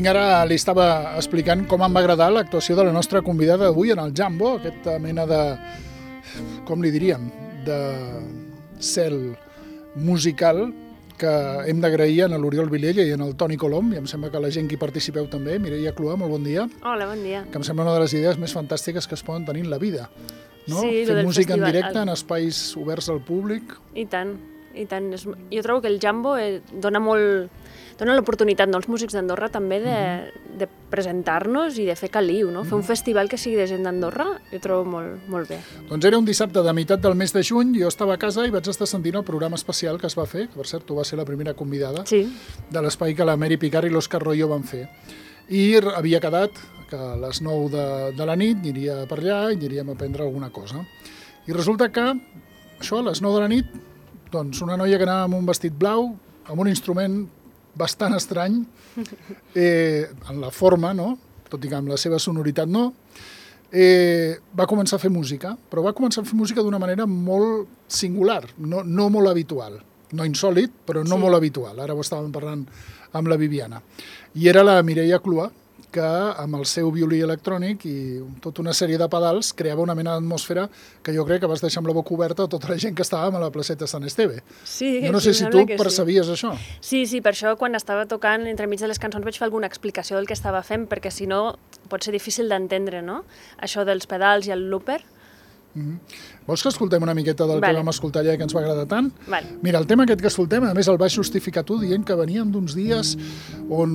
vinc, ara li estava explicant com em va agradar l'actuació de la nostra convidada d'avui en el Jambo, aquesta mena de, com li diríem, de cel musical que hem d'agrair a l'Oriol Vilella i en el Toni Colom, i em sembla que la gent que hi participeu també. Mireia Clua, molt bon dia. Hola, bon dia. Que em sembla una de les idees més fantàstiques que es poden tenir en la vida, no? Sí, fer música festival, en directe en espais oberts al públic. I tant, i tant. Jo trobo que el Jambo dona l'oportunitat als músics d'Andorra també de presentar-nos i de fer caliu, no? Fer un festival que sigui de gent d'Andorra, jo trobo molt bé. Doncs era un dissabte de meitat del mes de juny, jo estava a casa i vaig estar sentint el programa especial que es va fer, que per cert tu vas ser la primera convidada, de l'espai que la Mary Picard i l'Òscar Royo van fer. I havia quedat que a les 9 de la nit aniria per allà i aniríem a prendre alguna cosa. I resulta que, això, a les 9 de la nit, doncs una noia que anava amb un vestit blau, amb un instrument bastant estrany, en la forma, no? Tot i que amb la seva sonoritat no, va començar a fer música, però va començar a fer música d'una manera molt singular, no molt habitual. No insòlit, però no molt habitual. Ara ho estàvem parlant amb la Viviana. I era la Mireia Clua, que amb el seu violí electrònic i tota una sèrie de pedals creava una mena d'atmosfera que jo crec que vas deixar amb la boca oberta a tota la gent que estàvem a la placeta Sant Esteve. Sí, jo no sé si tu percebies això. Sí, per això quan estava tocant entremig de les cançons vaig fer alguna explicació del que estava fent, perquè si no pot ser difícil d'entendre, no? Això dels pedals i el looper. Vols que escoltem una miqueta del que vam escoltar allà que ens va agradar tant? Mira, el tema aquest que escoltem, a més el vas justificar tu dient que veníem d'uns dies on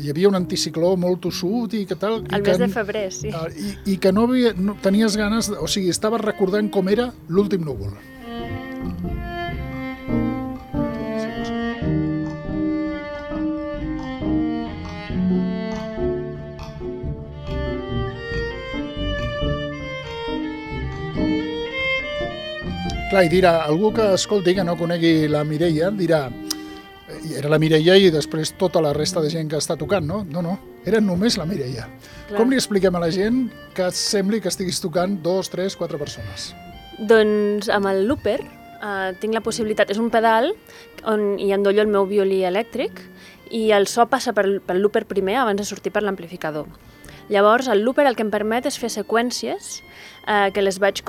hi havia un anticicló molt tossut i que tal... El mes de febrer, sí. I que no tenies ganes, o sigui, estaves recordant com era l'últim núvol. Clar, i dirà, algú que escolti, que no conegui la Mireia, dirà, era la Mireia i després tota la resta de gent que està tocant, no? No, era només la Mireia. Com li expliquem a la gent que sembli que estiguis tocant 2, 3, 4 persones? Doncs amb el looper tinc la possibilitat, és un pedal on hi endollo el meu violí elèctric i el so passa pel looper primer abans de sortir per l'amplificador. Llavors, el looper el que em permet és fer seqüències que les vaig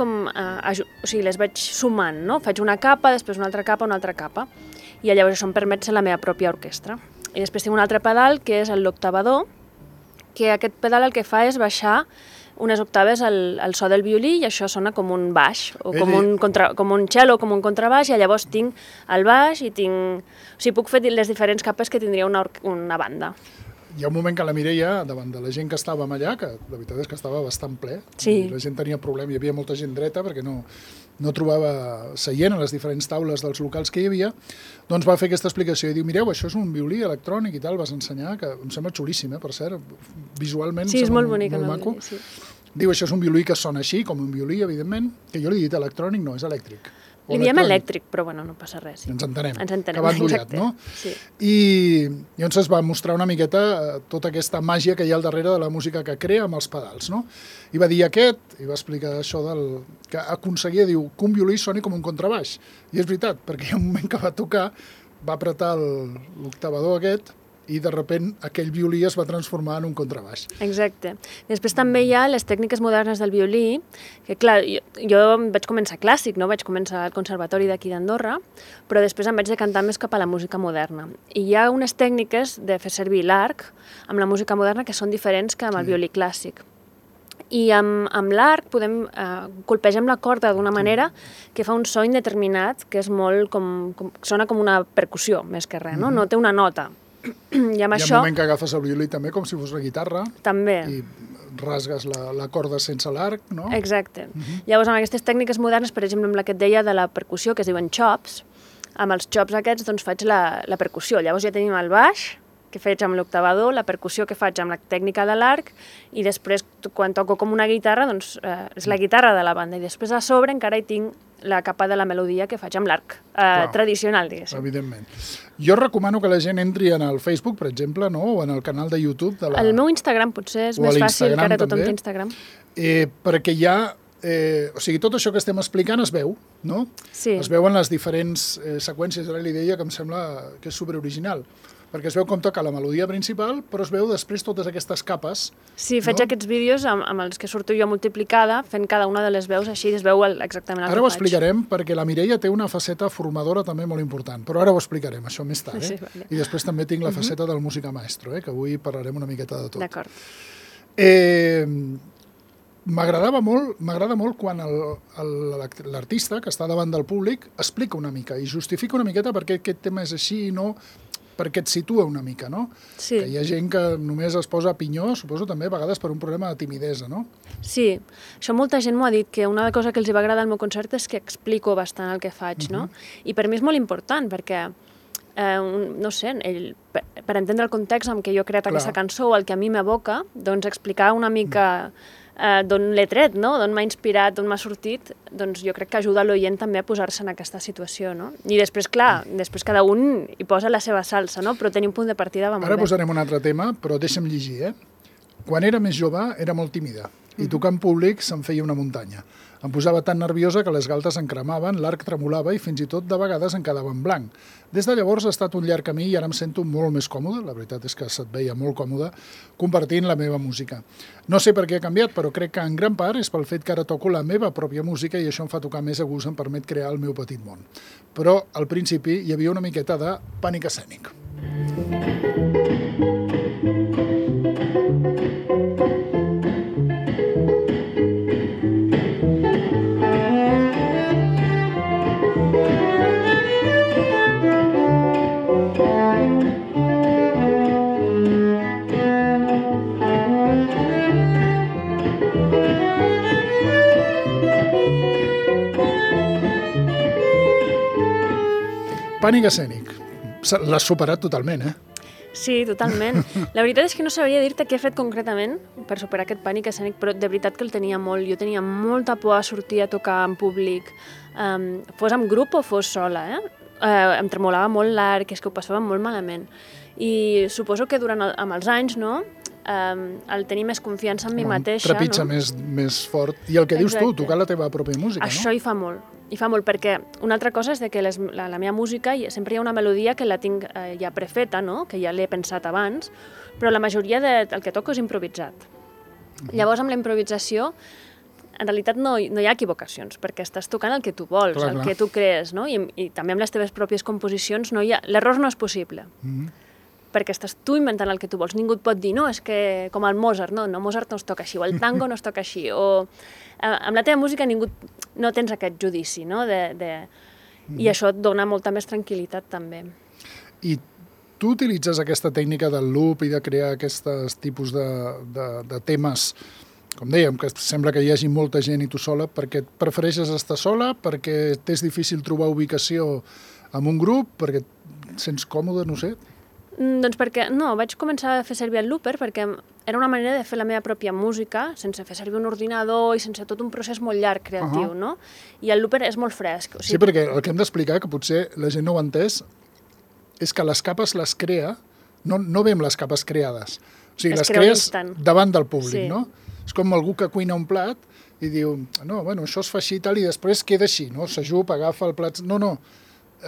les vaig sumant, no? Faig una capa, després una altra capa, i llavors això em permet ser la meva pròpia orquestra. I després tinc un altre pedal, que és l'octavador, que aquest pedal el que fa és baixar unes octaves al so del violí i això sona com un baix, o com un cello o com un contrabaix, i llavors tinc el baix i tinc... O sigui, puc fer les diferents capes que tindria una banda. Hi ha un moment que la Mireia, davant de la gent que estàvem allà, que la veritat és que estava bastant ple, la gent tenia problema, hi havia molta gent dreta perquè no trobava seient a les diferents taules dels locals que hi havia, doncs va fer aquesta explicació i diu, mireu, això és un violí electrònic i tal, vas ensenyar, que em sembla xulíssim, per cert, visualment sí, és molt bonic, molt maco. Sí. Diu, això és un violí que sona així, com un violí, evidentment, que jo li he dit electrònic, no, és elèctric. Li diem elèctric, però bueno, no passa res. Ens entenem, que va endollat, no? Sí. I llavors es va mostrar una miqueta tota aquesta màgia que hi ha al darrere de la música que crea amb els pedals, no? I va dir i va explicar això que aconseguia, diu, que un violí soni com un contrabaix. I és veritat, perquè hi ha un moment que va tocar, va apretar l'octavador aquest, i de sobte aquell violí es va transformar en un contrabaix. Exacte. Després també hi ha les tècniques modernes del violí, que clar, jo vaig començar clàssic, no? Vaig començar al conservatori d'aquí d'Andorra, però després em vaig decantar més cap a la música moderna. I hi ha unes tècniques de fer servir l'arc amb la música moderna que són diferents que amb el violí clàssic. I amb l'arc colpegem la corda d'una manera que fa un so indeterminat, que és molt sona com una percussió, més que res, no? No té una nota. Hi ha un moment que agafes el violí també com si fos la guitarra i rasgues la corda sense l'arc, no? Exacte. Llavors, amb aquestes tècniques modernes, per exemple, amb la que et deia de la percussió, que es diuen chops, amb els chops aquests doncs faig la percussió. Llavors ja tenim el baix, que faig amb l'octavador, la percussió que faig amb la tècnica de l'arc, i després, quan toco com una guitarra, doncs és la guitarra de la banda. I després a sobre encara hi tinc la capa de la melodia que faig amb l'arc tradicional, diguéssim. Evidentment. Jo recomano que la gent entri en el Facebook, per exemple, no? O en el canal de YouTube. El meu Instagram potser és més fàcil, que ara tothom té Instagram. Perquè hi ha... o sigui, tot això que estem explicant es veu, no? Sí. Es veuen les diferents seqüències. Ara li deia que em sembla que és superoriginal. perquè es veu com toca la melodia principal, però es veu després totes aquestes capes. Sí, faig aquests vídeos amb els que surto jo multiplicada, fent cada una de les veus, així es veu exactament el que faig. Ara ho explicarem, perquè la Mireia té una faceta formadora també molt important, però ara ho explicarem, això més tard. Sí, vale. I després també tinc la faceta del música maestro, que avui parlarem una miqueta de tot. D'acord. M'agrada molt quan l'artista que està davant del públic explica una mica i justifica una miqueta per què aquest tema és així i no perquè et situa una mica, no? Sí. Que hi ha gent que només es posa a pinyó, suposo també a vegades per un problema de timidesa, no? Sí, això molta gent m'ho ha dit, que una cosa que els va agradar al meu concert és que explico bastant el que faig, no? I per mi és molt important, perquè no sé, per entendre el context en què jo he creat aquesta cançó o el que a mi m'evoca, doncs explicar una mica d'on l'he tret, no? D'on m'ha inspirat, d'on m'ha sortit, doncs jo crec que ajuda l'oient també a posar-se en aquesta situació, no? I després, clar, després cada un hi posa la seva salsa, no? Però tenir un punt de partida va molt bé. Ara posarem un altre tema, però deixa'm llegir, Quan era més jove era molt tímida i tocar en públic se'n feia una muntanya. Em posava tan nerviosa que les galtes em cremaven, l'arc tremolava i fins i tot de vegades em quedava en blanc. Des de llavors ha estat un llarg camí i ara em sento molt més còmode, la veritat és que se't veia molt còmode, compartint la meva música. No sé per què ha canviat, però crec que en gran part és pel fet que ara toco la meva pròpia música i això em fa tocar més a gust, em permet crear el meu petit món. Però al principi hi havia una miqueta de pànic escènic. Pànic escènic. L'has superat totalment, Sí, totalment. La veritat és que no sabria dir-te què he fet concretament per superar aquest pànic escènic, però de veritat que el tenia molt. Jo tenia molta por a sortir a tocar en públic, fos en grup o fos sola, Em tremolava molt l'arc, és que ho passava molt malament. I suposo que amb els anys, no?, el tenir més confiança en mi mateixa, trepitja més fort. I el que dius tu, tocar la teva pròpia música, no? Això hi fa molt, perquè una altra cosa és que la meva música sempre hi ha una melodia que la tinc ja prefeta, no?, que ja l'he pensat abans, però la majoria del que toco és improvisat. Llavors, amb la improvisació, en realitat no hi ha equivocacions, perquè estàs tocant el que tu vols, el que tu crees, no? I també amb les teves pròpies composicions l'error no és possible. Perquè estàs tu inventant el que tu vols. Ningú et pot dir, no, és que com el Mozart, no, Mozart no es toca així, o el tango no es toca així, o amb la teva música no tens aquest judici, no? I això et dona molta més tranquil·litat, també. I tu utilitzes aquesta tècnica del loop i de crear aquests tipus de temes, com dèiem, que sembla que hi hagi molta gent i tu sola, perquè et prefereixes estar sola, perquè t'és difícil trobar ubicació en un grup, perquè et sents còmode, no sé? Doncs perquè, no, vaig començar a fer servir el looper perquè era una manera de fer la meva pròpia música sense fer servir un ordinador i sense tot un procés molt llarg creatiu, no? I el looper és molt fresc. Sí, perquè el que hem d'explicar, que potser la gent no ho ha entès, és que les capes les crea, no ve amb les capes creades. O sigui, les crees davant del públic, no? És com algú que cuina un plat i diu, no, bueno, això es fa així i tal, i després queda així, no? S'ajup, agafa el plat... No.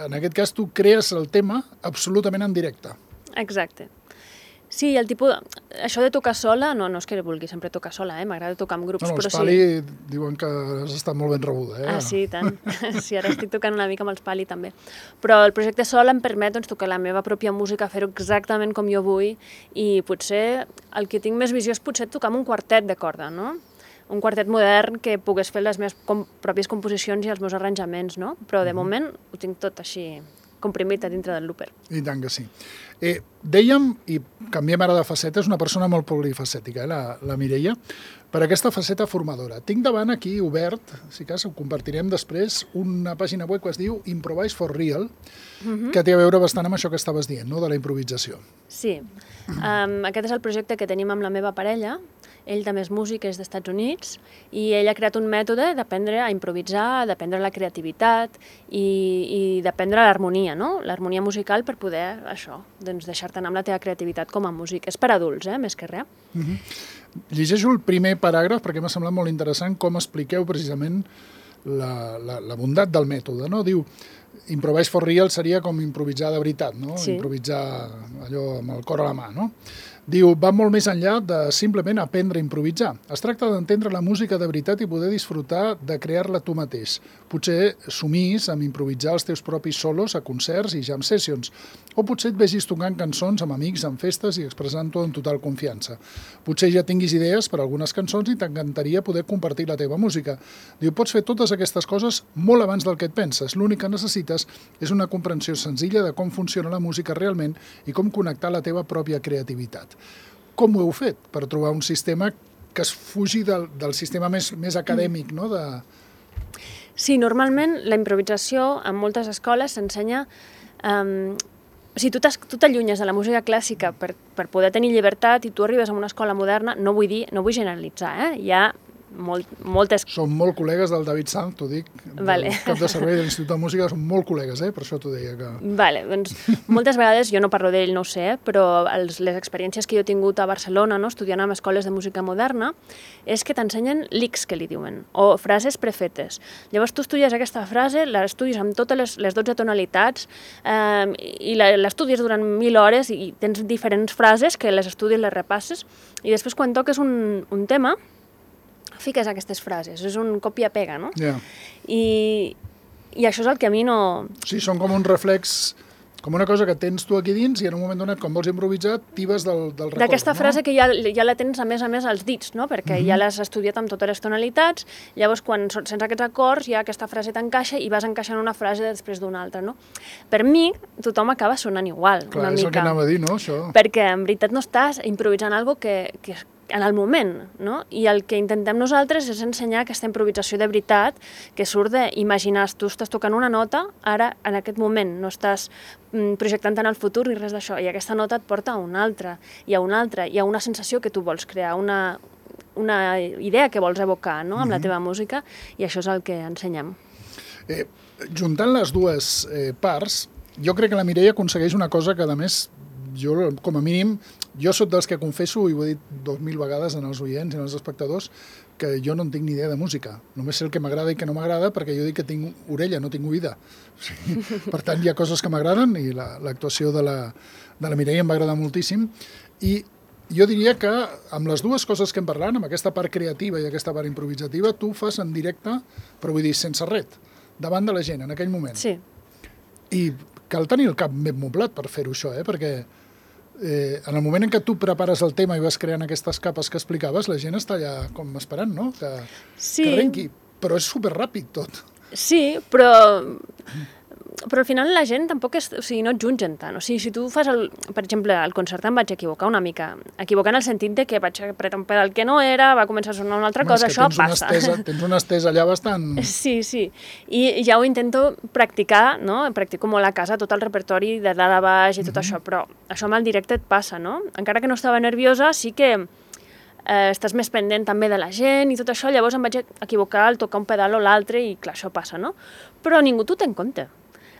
En aquest cas tu crees el tema absolutament en directe. Exacte. Sí, això de tocar sola, no és que vulgui sempre tocar sola, m'agrada tocar amb grups, però sí. Els Pali diuen que has estat molt ben rebuda, Sí, tant. Sí, ara estic tocant una mica amb els Pali, també. Però el projecte Sol em permet tocar la meva pròpia música, fer-ho exactament com jo vull, i potser el que tinc més visió és potser tocar amb un quartet de corda, no? Un quartet modern que pogués fer les meves pròpies composicions i els meus arranjaments, no? Però de moment ho tinc tot així comprimit a dintre del looper. I tant que sí. Dèiem, i canviem ara de faceta, és una persona molt polifacètica, la Mireia, per aquesta faceta formadora. Tinc davant aquí obert, si cas ho compartirem després, una pàgina web que es diu Improvise for Real, que té a veure bastant amb això que estaves dient, no?, de la improvisació. Sí. Aquest és el projecte que tenim amb la meva parella. Ell també és músic, és dels Estats Units, i ell ha creat un mètode d'aprendre a improvisar, d'aprendre la creativitat i d'aprendre l'harmonia, no? L'harmonia musical per poder, deixar-te anar amb la teva creativitat com a músic. És per adults, més que res. Llegeixo el primer paràgraf perquè m'ha semblat molt interessant com expliqueu precisament la bondat del mètode, no? Diu, improvise for real seria com improvisar de veritat, no? Sí. Improvisar allò amb el cor a la mà, no? Diu, va molt més enllà de simplement aprendre a improvisar. Es tracta d'entendre la música de veritat i poder disfrutar de crear-la tu mateix. Potser somis amb improvisar els teus propis solos a concerts i jam sessions, o potser et vegis tocant cançons amb amics en festes i expressant-ho en total confiança. Potser ja tinguis idees per a algunes cançons i t'encantaria poder compartir la teva música. Diu, pots fer totes aquestes coses molt abans del que et penses. L'únic que necessites és una comprensió senzilla de com funciona la música realment i com connectar la teva pròpia creativitat. Com ho heu fet per trobar un sistema que es fugi del sistema més acadèmic, no? Sí, normalment la improvisació en moltes escoles s'ensenya... O sigui, tu t'allunyes de la música clàssica per poder tenir llibertat i tu arribes a una escola moderna, no vull generalitzar, hi ha moltes... Som molt col·legues del David Sanz, t'ho dic, del cap de servei de l'Institut de Música, som molt col·legues, per això t'ho deia que... Vale, doncs moltes vegades, jo no parlo d'ell, no ho sé, però les experiències que jo he tingut a Barcelona, no, estudiant en escoles de música moderna, és que t'ensenyen licks, que li diuen, o frases prefetes. Llavors tu estudies aquesta frase, l'estudies amb totes les 12 tonalitats i l'estudies durant 1000 hores i tens diferents frases que les estudies, les repasses, i després quan toques un tema fiques aquestes frases, és un copia-pega, no? Yeah. I això és el que a mi no... Sí, són com un reflex, com una cosa que tens tu aquí dins i en un moment donat, quan vols improvisar, tibes del record. D'aquesta frase que ja la tens a més als dits, no? Perquè ja l'has estudiat amb totes les tonalitats, llavors quan sents aquests acords ja aquesta frase t'encaixa i vas encaixant una frase després d'una altra, no? Per mi, tothom acaba sonant igual, clar, una mica. Clar, és el que anava a dir, no, això? Perquè en veritat no estàs improvisant algo que en el moment, no? I el que intentem nosaltres és ensenyar aquesta improvisació de veritat que surt d'imaginar, tu estàs tocant una nota, ara, en aquest moment, no estàs projectant en el futur ni res d'això, i aquesta nota et porta a una altra, i a una altra, i a una sensació que tu vols crear, una idea que vols evocar, no?, amb la teva música, i això és el que ensenyem. Juntant les dues parts, jo crec que la Mireia aconsegueix una cosa que, a més, jo, com a mínim, jo soc dels que confesso, i ho he dit 2000 vegades en els oients i en els espectadors, que jo no en tinc ni idea de música. Només sé el que m'agrada i que no m'agrada, perquè jo dic que tinc orella, no tinc oïda. O sigui, per tant, hi ha coses que m'agraden, i l'actuació de la Mireia em va agradar moltíssim. I jo diria que amb les dues coses que hem parlat, amb aquesta part creativa i aquesta part improvisativa, tu ho fas en directe, però vull dir, sense ret, davant de la gent, en aquell moment. Sí. I cal tenir el cap ben moblat per fer-ho, això, perquè en el moment en què tu prepares el tema i vas creant aquestes capes que explicaves, la gent està allà com esperant, no? Que arrenqui. Però és superràpid tot. Sí, però al final la gent tampoc és... O sigui, no et jutgen tant. O sigui, si tu fas per exemple, al concert em vaig equivocar una mica. Equivocar en el sentit de que vaig apretar un pedal que no era, va començar a sonar una altra cosa, això passa. Tens una estesa allà bastant... Sí. I ja ho intento practicar, no? Practico molt a casa tot el repertori de dalt a baix i tot això, però això amb el directe et passa, no? Encara que no estava nerviosa, sí que estàs més pendent també de la gent i tot això, llavors em vaig equivocar al tocar un pedal o l'altre i clar, això passa, no? Però ningú t'ho té en compte.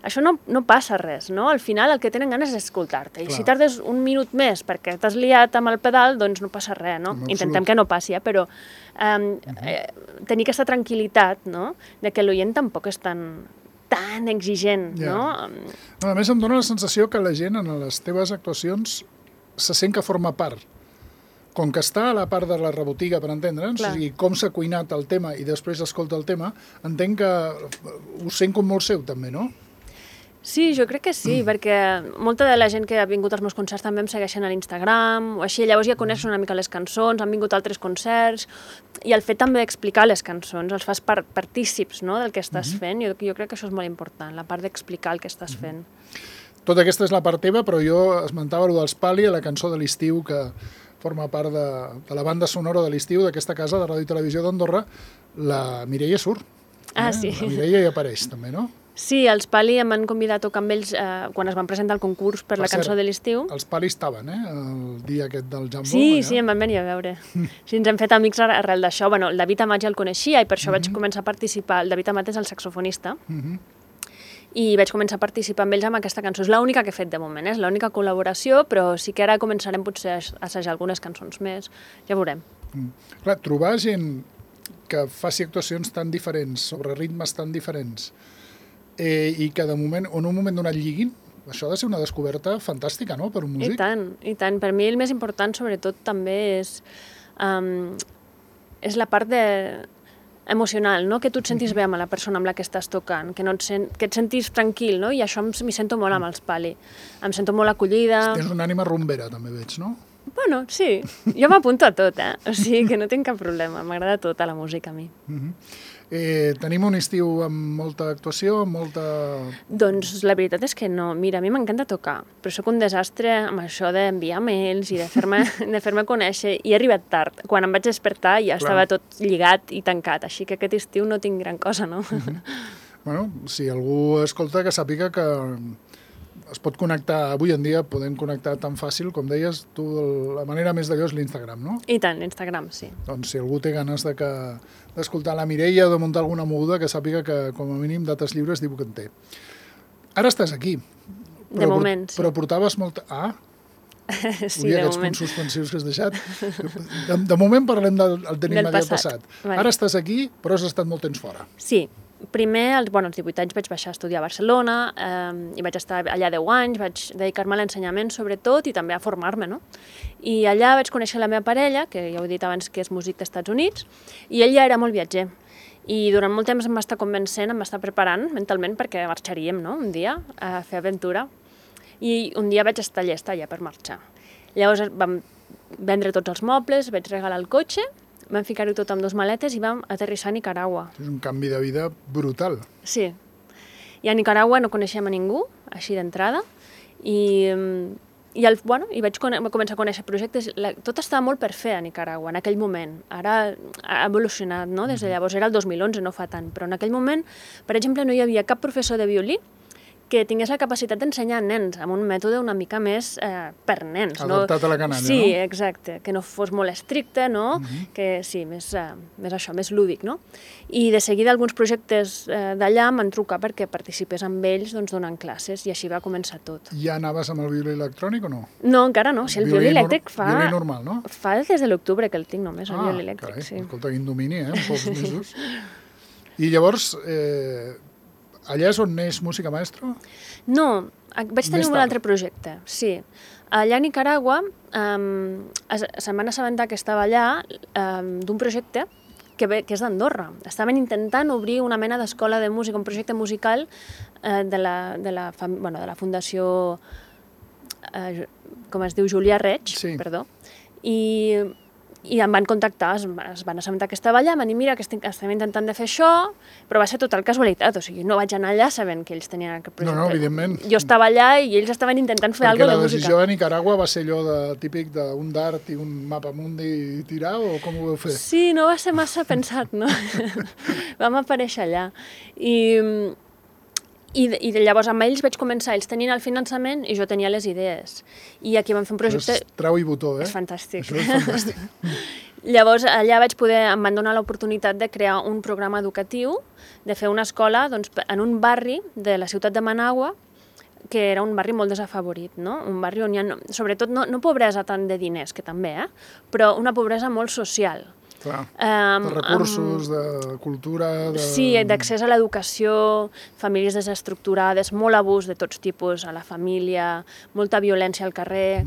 Això no passa res, no? Al final el que tenen ganes és escoltar-te. I si tardes un minut més perquè t'has liat amb el pedal, doncs no passa res, no? Intentem que no passi, però tenir aquesta tranquil·litat, no?, de que l'oient tampoc és tan exigent, no? A més, em dóna la sensació que la gent en les teves actuacions se sent que forma part. Com que està a la part de la rebotiga, per entendre'ns, o sigui, com s'ha cuinat el tema i després escolta el tema, entenc que ho sent com molt seu, també, no? Sí, jo crec que sí, perquè molta de la gent que ha vingut als meus concerts també em segueixen a l'Instagram o així, llavors ja coneixen una mica les cançons, han vingut a altres concerts, i el fet també d'explicar les cançons, els fas partícips, no?, del que estàs fent, jo crec que això és molt important, la part d'explicar el que estàs fent. Tota aquesta és la part teva, però jo esmentava allò dels Pali, la cançó de l'estiu, que forma part de la banda sonora de l'estiu d'aquesta casa de Ràdio i Televisió d'Andorra, la Mireia surt. Sí. La Mireia hi apareix, també, no? Sí, els Pali em van convidar a tocar amb ells quan es van presentar al concurs per la cançó de l'estiu. Els Pali estaven, el dia aquest del Jambo. Sí, em van venir a veure. Sí, ens hem fet amics arrel d'això. Bueno, el David Amat ja el coneixia i per això vaig començar a participar. El David Amat és el saxofonista. I vaig començar a participar amb ells amb aquesta cançó. És l'única que he fet de moment, és l'única col·laboració, però sí que ara començarem potser a assajar algunes cançons més. Ja veurem. Clar, trobar gent que faci actuacions tan diferents, sobre ritmes tan diferents, i que de moment, en un moment donat lliguin, això ha de ser una descoberta fantàstica, no?, per un músic. I tant. Per mi el més important, sobretot, també és la part emocional, no? Que tu et sentis bé amb la persona amb la que estàs tocant, que et sentis tranquil, no? I això m'hi sento molt amb els Pali. Em sento molt acollida. Tens una ànima rumbera, també veig, no? Bueno, sí. Jo m'apunto a tot, O sigui que no tinc cap problema. M'agrada tota la música a mi. Tenim un estiu amb molta actuació, amb molta... Doncs la veritat és que no. Mira, a mi m'encanta tocar, però sóc un desastre amb això d'enviar mails i de fer-me conèixer. I he arribat tard. Quan em vaig despertar ja estava tot lligat i tancat, així que aquest estiu no tinc gran cosa, no? Bueno, si algú escolta, que sàpiga que es pot connectar, avui en dia podem connectar tan fàcil, com deies, tu, la manera més d'allò és l'Instagram, no? I tant, l'Instagram, sí. Doncs si algú té ganes d'escoltar la Mireia o de muntar alguna moguda, que sàpiga que, com a mínim, dates lliures diu que en té. Ara estàs aquí. De moment, sí. Però portaves molta... Sí, de aquests moment. punts suspensius que has deixat. De moment parlem del immediat passat. Vale. Ara estàs aquí, però has estat molt temps fora. Sí. Primer, als 18 anys vaig baixar a estudiar a Barcelona i vaig estar allà 10 anys, vaig dedicar-me a l'ensenyament sobretot i també a formar-me, no? I allà vaig conèixer la meva parella, que ja ho he dit abans que és músic d'Estats Units, i ell ja era molt viatger. I durant molt temps em va estar convencent, em va estar preparant mentalment perquè marxaríem, no?, un dia a fer aventura. I un dia vaig estar llesta ja per marxar. Llavors vam vendre tots els mobles, vaig regalar el cotxe, vam ficar-ho tot amb 2 maletes i vam aterrissar a Nicaragua. És un canvi de vida brutal. Sí. I a Nicaragua no coneixíem a ningú, així d'entrada, i vaig començar a conèixer projectes. Tot estava molt per fer a Nicaragua en aquell moment. Ara ha evolucionat, no? Des de llavors, era el 2011, no fa tant, però en aquell moment, per exemple, no hi havia cap professor de violí que tingués la capacitat d'ensenyar a nens amb un mètode una mica més per nens. Adaptat a la canalla, sí, no? Sí, exacte. Que no fos molt estricte, no? Que sí, més això, més lúdic, no? I de seguida alguns projectes d'allà m'han trucat perquè participés amb ells donant classes i així va començar tot. Ja anaves amb el violí electrònic o no? No, encara no. Si el violí elèctric fa... Violí normal, no? Fa des de l'octubre que el tinc només, el violí elèctric, carai, sí. Escolta, quin domini, en pocs mesos. I llavors... allà és on neix Música Maestro? No, vaig tenir un altre projecte, sí. Allà a Nicaragua se'n van assabentar que estava allà d'un projecte que és d'Andorra. Estaven intentant obrir una mena d'escola de música, un projecte musical de la Fundació, com es diu, Julià Reig, sí. Perdó, i em van contactar, es van assabentar que estava allà, em van dir, mira, que estem intentant de fer això, però va ser total casualitat, o sigui, no vaig anar allà sabent que ells tenien aquest projecte. No, evidentment. Jo estava allà i ells estaven intentant fer alguna cosa de música. Perquè la decisió de Nicaragua va ser allò típic d'un dart i un mapamundi i tirar, o com ho vau fer? Sí, no va ser massa pensat, no? Vam aparèixer allà. I llavors amb ells vaig començar, ells tenien el finançament i jo tenia les idees. I aquí vam fer un projecte... És trau i botó, És fantàstic. Això és fantàstic. Llavors allà em van donar l'oportunitat de crear un programa educatiu, de fer una escola en un barri de la ciutat de Managua, que era un barri molt desafavorit, no? Un barri on hi ha, sobretot, no pobresa tant de diners, que també, però una pobresa molt social. Clar, de recursos, de cultura... Sí, d'accés a l'educació, famílies desestructurades, molt abús de tots tipus a la família, molta violència al carrer...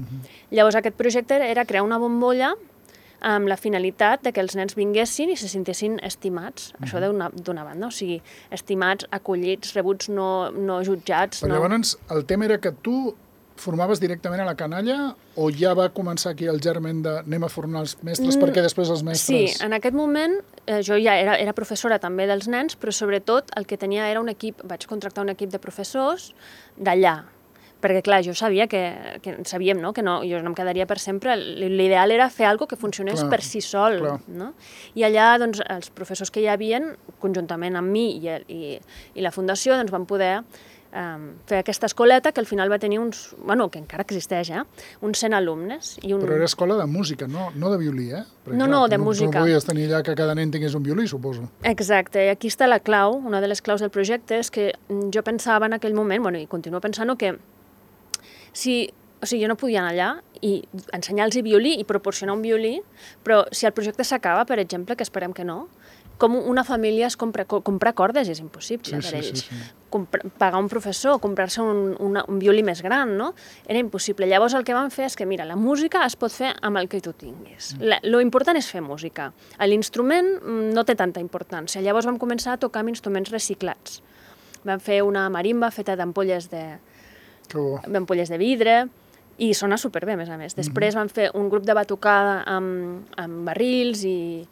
Llavors aquest projecte era crear una bombolla amb la finalitat de que els nens vinguessin i se sentessin estimats, això d'una banda, o sigui, estimats, acollits, rebuts, no jutjats... Però llavors el tema era que tu formaves directament a la canalla o ja va començar aquí el germen de anem a formar els mestres perquè després els mestres... Sí, en aquest moment jo ja era professora també dels nens, però sobretot el que tenia era un equip, vaig contractar un equip de professors d'allà, perquè clar, jo sabia sabíem, no?, que jo no em quedaria per sempre, l'ideal era fer alguna cosa que funcionés per si sol, no? I allà, doncs, els professors que hi havien, conjuntament amb mi i la Fundació, doncs van poder fer aquesta escoleta que al final va tenir que encara existeix, uns 100 alumnes. Però era escola de música, no de violí, Perquè, no, de música. No podies tenir allà que cada nen tingués un violí, suposo. Exacte, i aquí està la clau, una de les claus del projecte, és que jo pensava en aquell moment, i continuo pensant que jo no podia anar allà i ensenyar-los violí i proporcionar un violí, però si el projecte s'acaba, per exemple, que esperem que no, com una família es comprar cordes és impossible per ells. Pagar un professor, comprar-se un violí més gran, no? Era impossible. Llavors el que van fer és que, mira, la música es pot fer amb el que tu tinguis. Lo important és fer música. L'instrument no té tanta importància. Llavors vam començar a tocar amb instruments reciclats. Vam fer una marimba feta d'ampolles de vidre i sona superbé, a més a més. Després vam fer un grup de batucada amb barrils i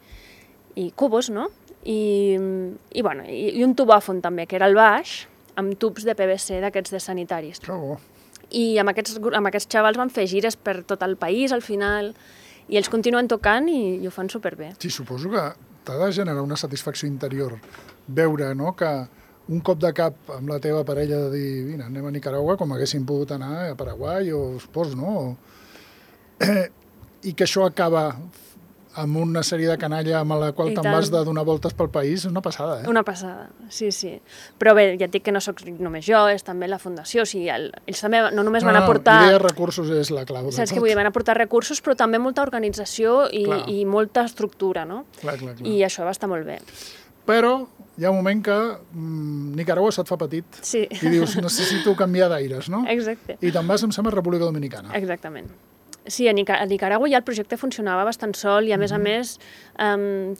cubos, no? I un tubòfon també, que era el baix, amb tubs de PVC d'aquests de sanitaris. Que bo. I amb aquests xavals van fer gires per tot el país, al final, i ells continuen tocant i ho fan superbé. Sí, suposo que t'ha de generar una satisfacció interior veure, no?, que un cop de cap amb la teva parella de dir, vine, anem a Nicaragua, com haguéssim pogut anar a Paraguai o Espòs, no? I que això acaba amb una sèrie de canalla amb la qual te'n vas de donar voltes pel país, és una passada, Una passada, sí. Però bé, ja et dic que no soc només jo, és també la Fundació, o sigui, ells també no només van aportar... L'idea de recursos és la clau de tot. Saps què vull dir? Van aportar recursos, però també molta organització i molta estructura, no? Clar. I això va estar molt bé. Però hi ha un moment que Nicaragua se't fa petit i dius, necessito canviar d'aires, no? Exacte. I te'n vas, em sembla, a República Dominicana. Exactament. Sí, a Nicaragua ja el projecte funcionava bastant sol i, a més,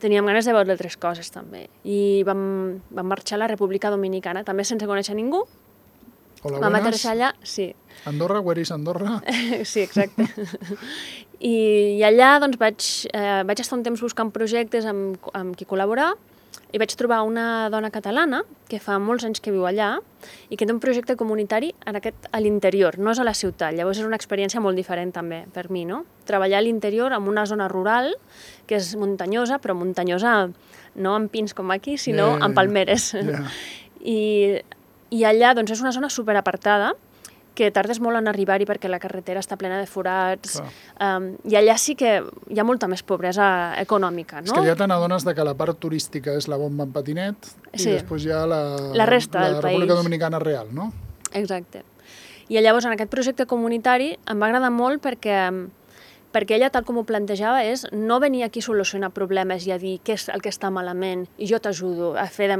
teníem ganes de veure altres coses, també. I vam marxar a la República Dominicana, també sense conèixer ningú. Hola, vam buenas. aterrissar allà, sí. Andorra, where is Andorra? Sí, exacte. I allà doncs, vaig estar un temps buscant projectes amb qui col·laborar i vaig trobar una dona catalana que fa molts anys que viu allà i que té un projecte comunitari a l'interior, no és a la ciutat. Llavors és una experiència molt diferent també per mi, no? Treballar a l'interior en una zona rural que és muntanyosa, però muntanyosa no amb pins com aquí, sinó amb palmeres. I allà doncs, és una zona superapartada que tardes molt en arribar-hi perquè la carretera està plena de forats, i allà sí que hi ha molta més pobresa econòmica, no? És que ja te n'adones que la part turística és la bomba en patinet i després hi ha la resta del país. La República Dominicana real, no? Exacte. I llavors en aquest projecte comunitari em va agradar molt perquè ella, tal com ho plantejava, és no venir aquí a solucionar problemes i a dir què és el que està malament i jo t'ajudo a fer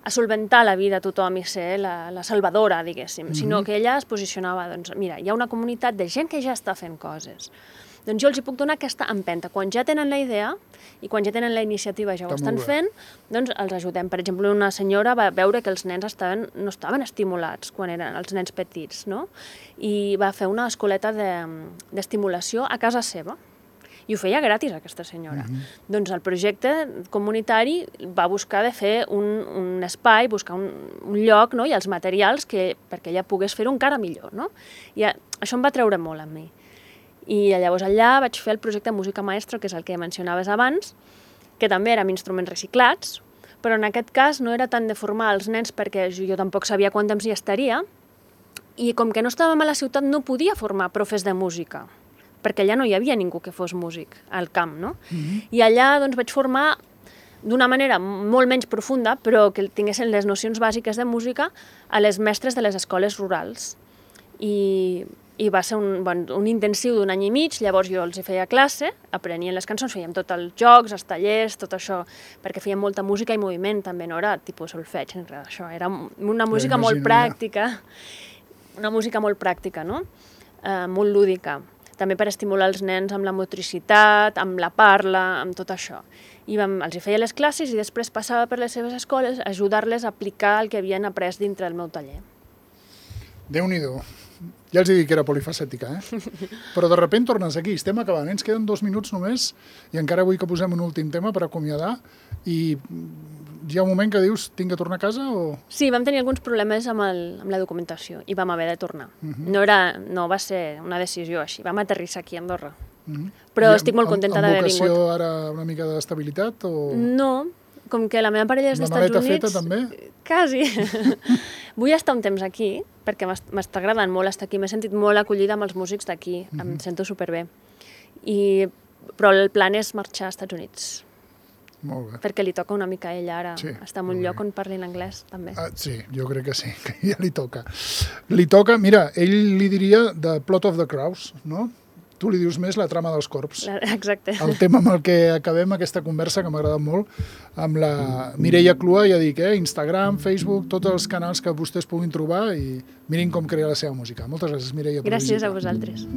a solventar la vida a tothom i ser la salvadora, diguéssim, sinó que ella es posicionava, doncs, mira, hi ha una comunitat de gent que ja està fent coses. Doncs jo els hi puc donar aquesta empenta. Quan ja tenen la idea i quan ja tenen la iniciativa, ja ho estan fent, doncs els ajudem. Per exemple, una senyora va veure que els nens no estaven estimulats quan eren els nens petits, no? I va fer una escoleta d'estimulació a casa seva. I ho feia gratis, aquesta senyora. Doncs el projecte comunitari va buscar de fer un espai, buscar un lloc, no? I els materials perquè ella pogués fer-ho encara millor, no? I això em va treure molt a mi. I llavors allà vaig fer el projecte Música Maestro, que és el que mencionaves abans, que també era amb instruments reciclats, però en aquest cas no era tant de formar els nens perquè jo tampoc sabia quant temps hi estaria, i com que no estàvem a la ciutat no podia formar profes de música, perquè allà no hi havia ningú que fos músic al camp, no? I allà doncs, vaig formar d'una manera molt menys profunda, però que tinguessin les nocions bàsiques de música a les mestres de les escoles rurals. I va ser un intensiu d'un any i mig, llavors jo els feia classe, aprenien les cançons, fèiem tots els jocs, els tallers, tot això, perquè fèiem molta música i moviment, també no era tipus solfeig, ni res d'això, era una música molt pràctica, no? Molt lúdica. També per estimular els nens amb la motricitat, amb la parla, amb tot això. I els feia les classes i després passava per les seves escoles a ajudar-les a aplicar el que havien après dintre del meu taller. Déu-n'hi-do. Ja els he dit que era polifacètica, Però de sobte tornes aquí, estem acabant, ens queden 2 minuts només i encara vull que posem un últim tema per acomiadar i hi ha un moment que dius, tinc que tornar a casa o...? Sí, vam tenir alguns problemes amb la documentació i vam haver de tornar. No va ser una decisió així, vam aterrissar aquí a Andorra. Però estic molt contenta d'haver vingut. Amb vocació ara una mica d'estabilitat o...? No, com que la meva parella és d'Estats Units... La maleta feta també? Quasi. Vull estar un temps aquí, perquè m'està agradant molt estar aquí. M'he sentit molt acollida amb els músics d'aquí, em sento superbé. Però el plan és marxar als Estats Units. Molt bé. Perquè li toca una mica a ella ara estar en un lloc on parlin anglès, també. Sí, jo crec que sí, que ja li toca. Li toca, mira, ell li diria The Plot of the Crows, no? tu li dius més la trama dels corps. Exacte. El tema amb el que acabem aquesta conversa, que m'ha agradat molt, amb la Mireia Clua, ja dic, Instagram, Facebook, tots els canals que vostès puguin trobar i mirin com crea la seva música. Moltes gràcies, Mireia. Gràcies a vosaltres.